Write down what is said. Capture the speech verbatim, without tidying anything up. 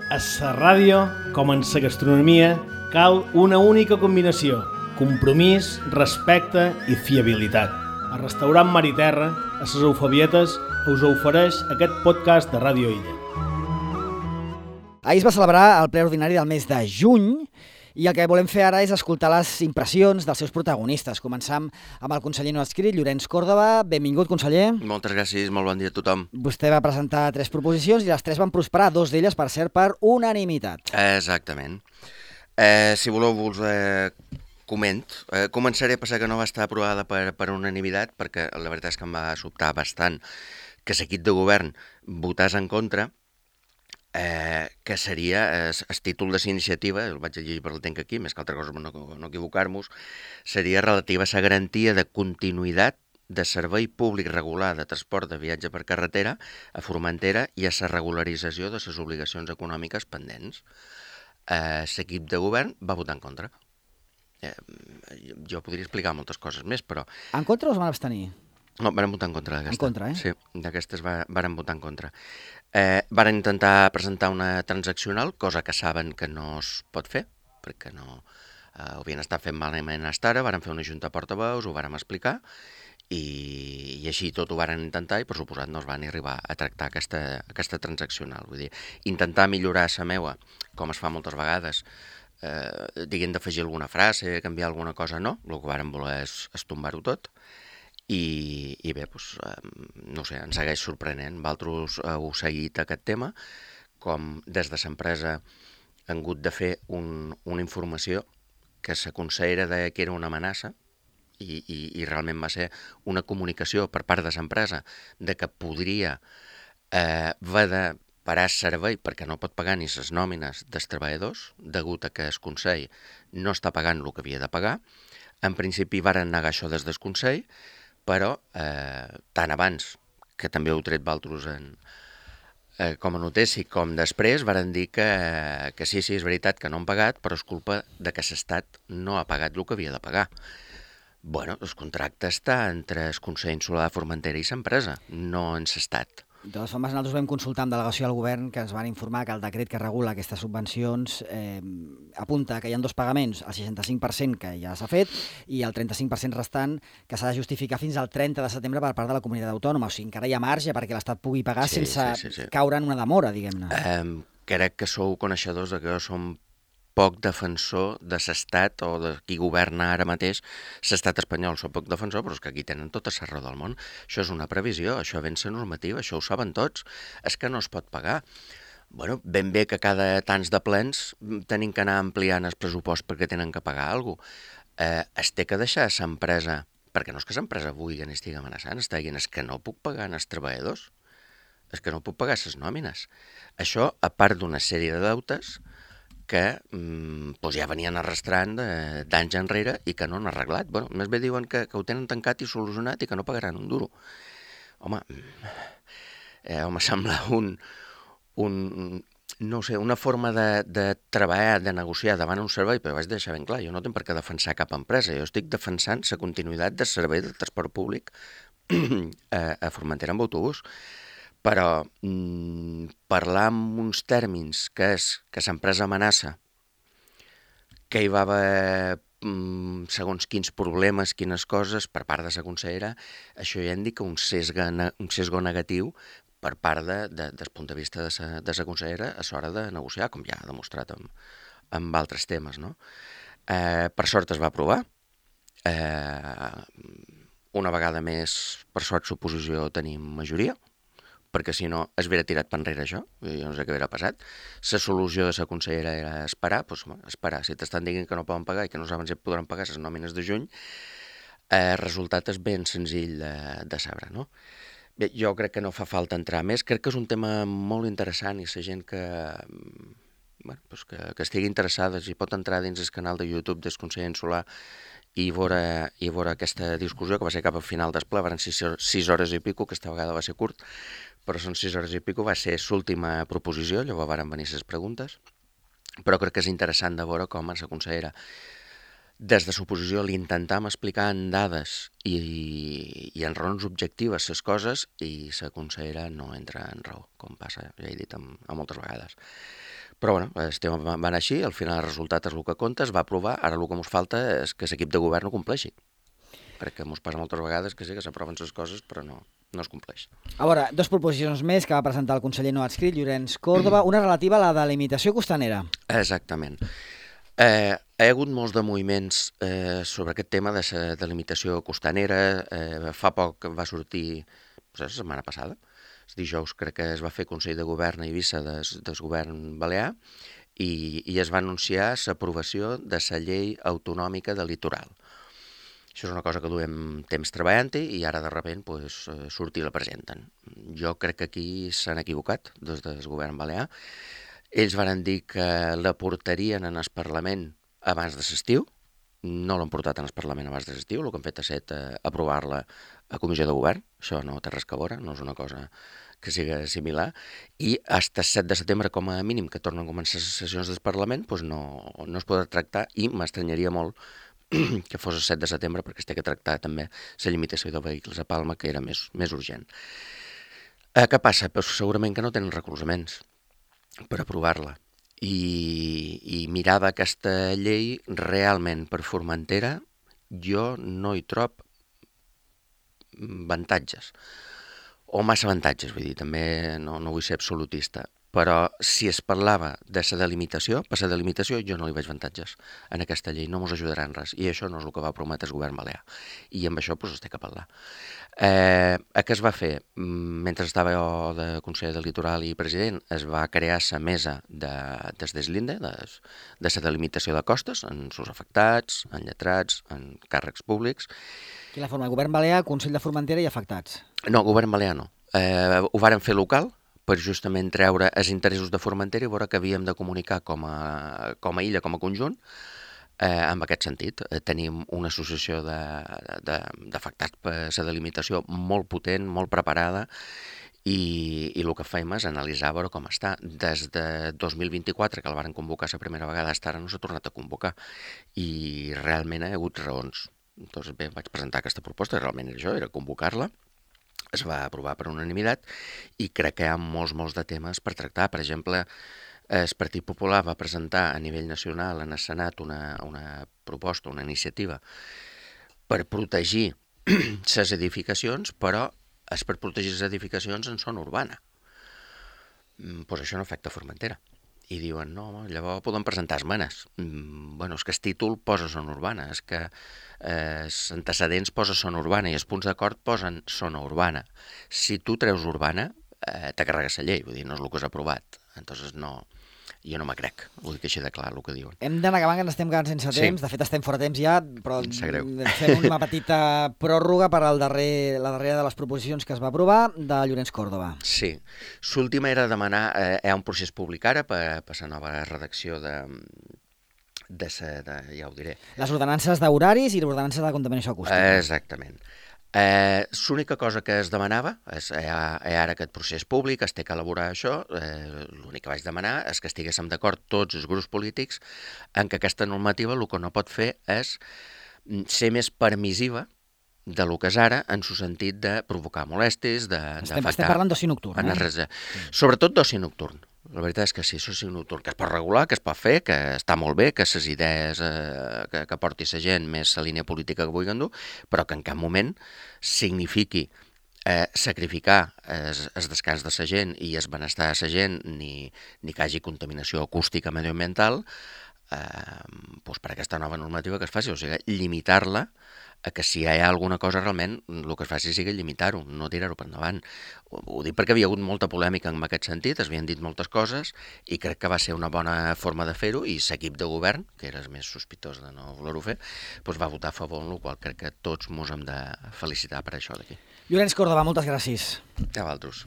A la ràdio, com en la gastronomia, cal una única combinació: compromís, respecte i fiabilitat. El restaurant Mar i Terra, a les Eufabietes, us ofereix aquest podcast de Ràdio Illa. Ahir es va celebrar el ple ordinari del mes de juny i el que volem fer ara és escoltar les impressions dels seus protagonistes. Començam amb el conseller no adscrit, Llorenç Còrdova. Benvingut, conseller. Moltes gràcies, molt bon dia a tothom. Vostè va presentar tres proposicions i les tres van prosperar, dos d'elles, per cert, per unanimitat. Exactament. Eh, si voleu, vos eh, coment. Eh, començaré a passar que no va estar aprovada per, per unanimitat, perquè la veritat és que em va sobtar bastant que l'equip de govern votés en contra, eh, que seria el eh, títol de la iniciativa, el vaig llegir per el tenc aquí, més que altra cosa per no, no equivocar-nos, seria relativa a la garantia de continuïtat de servei públic regular de transport de viatge per carretera a Formentera i a la regularització de les obligacions econòmiques pendents. Eh, l'equip de govern va votar en contra. Eh, jo podria explicar moltes coses més, però... En contra o es van abstenir? No, van votar en contra d'aquesta. En contra, eh? Sí, d'aquestes va, van votar en contra. Eh, van intentar presentar una transaccional, cosa que saben que no es pot fer, perquè no eh, ho havien estat fent malament fins ara, van fer una junta de portaveus, ho vàrem explicar, i, i així tot ho varen intentar i, per suposat, no es van arribar a tractar aquesta, aquesta transaccional. Vull dir, intentar millorar la meua, com es fa moltes vegades, eh, diguem d'afegir alguna frase, canviar alguna cosa, no. El que varen voler és, és tombar-ho tot. I, i bé, doncs, eh, no sé, ens segueix sorprenent. Vosaltres heu seguit aquest tema, com des de l'empresa han hagut de fer un, una informació que la consellera deia que era una amenaça, i, i, i realment va ser una comunicació per part de l'empresa de que podria eh, haver de parar el servei perquè no pot pagar ni les nòmines dels treballadors, degut a que el Consell no està pagant el que havia de pagar. En principi varen negar això des del Consell, però eh, tant abans, que també heu tret vosaltres en, eh, com a notícia, com després, varen dir que, que sí, sí, és veritat que no han pagat, però és culpa de que l'Estat no ha pagat el que havia de pagar. Bueno, el contracte està entre el Consell Insular de Formentera i l'empresa, no en l'Estat. De totes formes, nosaltres vam consultar amb delegació al govern que ens van informar que el decret que regula aquestes subvencions eh, apunta que hi ha dos pagaments, el seixanta-cinc per cent que ja s'ha fet i el trenta-cinc per cent restant que s'ha de justificar fins al trenta de setembre per part de la comunitat autònoma. O sigui, encara hi ha marge perquè l'Estat pugui pagar Sí, sense sí, sí, sí. caure en una demora, diguem-ne. Eh, crec que sou coneixedors de que jo som poc defensor de l'Estat o de qui governa ara mateix l'Estat espanyol. Soc poc defensor, però és que aquí tenen tota la raó del món. Això és una previsió, això ve en la normativa, això ho saben tots. És que no es pot pagar. Bueno, ben bé que cada tants de plens tenim que anar ampliant el pressupost perquè tenen que pagar alguna cosa. Eh, es té que deixar l'empresa, perquè no és que l'empresa vulgui que n'estigui amenaçant, està dient és que no puc pagar als treballadors, és que no puc pagar les nòmines. Això, a part d'una sèrie de deutes que mm, doncs ja venien arrastrant d'anys enrere i que no han arreglat. Bueno, més bé diuen que, que ho tenen tancat i solucionat i que no pagaran un duro. Home, eh, home sembla un, un, no sé, una forma de, de treballar, de negociar davant un servei, però vaig deixar ben clar, jo no tinc per què defensar cap empresa, jo estic defensant la continuïtat del servei de transport públic a, a Formentera amb autobús. Però mm, parlar amb uns tèrmins que és que l'empresa amenaça, que hi va haver mm, segons quins problemes, quines coses, per part de la consellera, això ja indica un sesgo, un sesgo negatiu per part de, de, del punt de vista de la de consellera a l'hora de negociar, com ja ha demostrat amb, amb altres temes, no? Eh, per sort es va aprovar. Eh, una vegada més, per sort, suposició, tenim majoria, perquè si no es hauria tirat per enrere això, jo no sé què hauria passat. La solució de la consellera era esperar, doncs esperar. Si t'estan dient que no poden pagar i que no saben si podran pagar les nòmines de juny, el eh, resultat és ben senzill de, de saber, no? Bé, jo crec que no fa falta entrar més, crec que és un tema molt interessant i la gent que, bueno, doncs que, que estigui interessada, si pot entrar dins el canal de YouTube del Consell Insular i veure, i veure aquesta discussió, que va ser cap al final del ple, van ser sis, sis hores i pico, aquesta vegada va ser curt, però són sis hores i pico, va ser l'última proposició, llavors varen venir les preguntes, però crec que és interessant de veure com a la consellera, des de l'oposició, li intentàvem explicar en dades i, i en raons objectives les coses i la consellera no entra en raó, com passa, ja he dit, amb, amb moltes vegades. Però bueno, el tema va anar així, al final el resultat és el que compta, es va aprovar, ara el que ens falta és que l'equip de govern ho compleixi. Perquè ens passa moltes vegades que sí que s'aproven les coses, però no, no es compleix. A veure, dos proposicions més que va presentar el conseller no adscrit, Llorenç Córdoba, una relativa a la delimitació costanera. Exactament. Eh, hi ha hagut molts de moviments eh, sobre aquest tema de la delimitació costanera. Eh, fa poc va sortir, doncs, la setmana passada, els dijous crec que es va fer Consell de Govern a Eivissa des, des govern balear i, i es va anunciar l'aprovació de la llei autonòmica del litoral. Això és una cosa que duem temps treballant-hi i ara de sobte pues, surt i la presenten. Jo crec que aquí s'han equivocat des del govern balear. Ells van dir que la portarien en el Parlament abans de l'estiu, no l'han portat en el Parlament abans de l'estiu, el que han fet ha estat aprovar-la a comissió de govern, això no té res a veure, no és una cosa que sigui similar, i fins el set de setembre, com a mínim, que tornen a començar les sessions del Parlament, doncs no, no es podrà tractar i m'estranyaria molt que fos el set de setembre perquè es té que tractar també la limitació de vehicles a Palma, que era més, més urgent. Eh, què passa? Pues segurament que no tenen recolzaments per aprovar-la. I, i mirada aquesta llei realment per Formentera jo no hi trob avantatges o massa avantatges, vull dir, també no, no vull ser absolutista, però si es parlava de la delimitació, per la delimitació jo no li veig avantatges en aquesta llei, no ens ajudarà en res, i això no és el que va prometre el govern balear, i amb això doncs, es té que parlar. Eh, què es va fer? Mentre estava jo de conseller del Litoral i president, es va crear la mesa de, des d'Eslinde, de, de la delimitació de costes, en sus afectats, en lletrats, en càrrecs públics. Quina forma? Govern balear, Consell de Formentera i afectats? No, govern balear no. Eh, ho varen fer local, per justament treure els interessos de Formentera i veure que havíem de comunicar com a, com a illa, com a conjunt, eh, en aquest sentit. Eh, tenim una associació d'afectats per la delimitació molt potent, molt preparada, i, i el que fem és analitzar veure com està. Des de dos mil vint-i-quatre, que el varen convocar la primera vegada, fins ara no s'ha tornat a convocar, i realment hi ha hagut raons. Doncs bé, vaig presentar aquesta proposta, realment era això, era convocar-la. Es va aprovar per unanimitat i crec que hi ha molts, molts de temes per tractar. Per exemple, el Partit Popular va presentar a nivell nacional en el Senat una, una proposta, una iniciativa per protegir les edificacions, però és per protegir les edificacions en zona urbana. Doncs això no afecta Formentera. I diuen, no, llavors poden presentar esmenes. Mm, bueno, és que el títol posa zona urbana, és que eh, els antecedents posa zona urbana i els punts d'acord posen zona urbana. Si tu treus urbana, eh, te carregues la llei, vull dir, no és el que has aprovat. Entonces no, jo no me crec, ho dic així de clar, el que diuen. Hem d'anar acabant, que ens estem quedant sense temps, sí. De fet estem fora temps ja, però fem una petita pròrroga per al darrer, la darrera de les proposicions que es va aprovar, de Llorenç Córdoba. Sí, l'última era demanar, eh, hi ha un procés públic ara per, per la nova redacció de, de, sa, de, ja ho diré. Les ordenances d'horaris i l'ordenança de contaminació acústica. Exactament. Eh, L'única cosa que es demanava, és, hi, ha, hi ha ara aquest procés públic, es té que elaborar això, eh, l'únic que vaig demanar és que estiguéssim d'acord tots els grups polítics en que aquesta normativa el que no pot fer és ser més permissiva de lo que és ara, en el sentit de provocar molèsties, d'afectar... Estem, estem parlant d'oci nocturn, eh? Res, sobretot d'oci nocturn. La veritat és que sí, l'oci nocturn, que es pot regular, que es pot fer, que està molt bé, que les idees eh, que, que porti la gent més la línia política que vulguin dur, però que en cap moment signifiqui eh, sacrificar el descans de la gent i el benestar de la gent, ni, ni que hagi contaminació acústica medioambiental, eh, doncs per aquesta nova normativa que es faci, o sigui, limitar-la a que si hi ha alguna cosa realment el que es faci sigui limitar-ho, no tirar-ho per endavant. Ho, ho dic perquè havia hagut molta polèmica en aquest sentit, es havien dit moltes coses i crec que va ser una bona forma de fer-ho i l'equip de govern, que era el més sospitós de no voler-ho fer, doncs va votar a favor, en el qual crec que tots ens hem de felicitar per això d'aquí. Llorenç Córdoba, moltes gràcies. A vosaltres.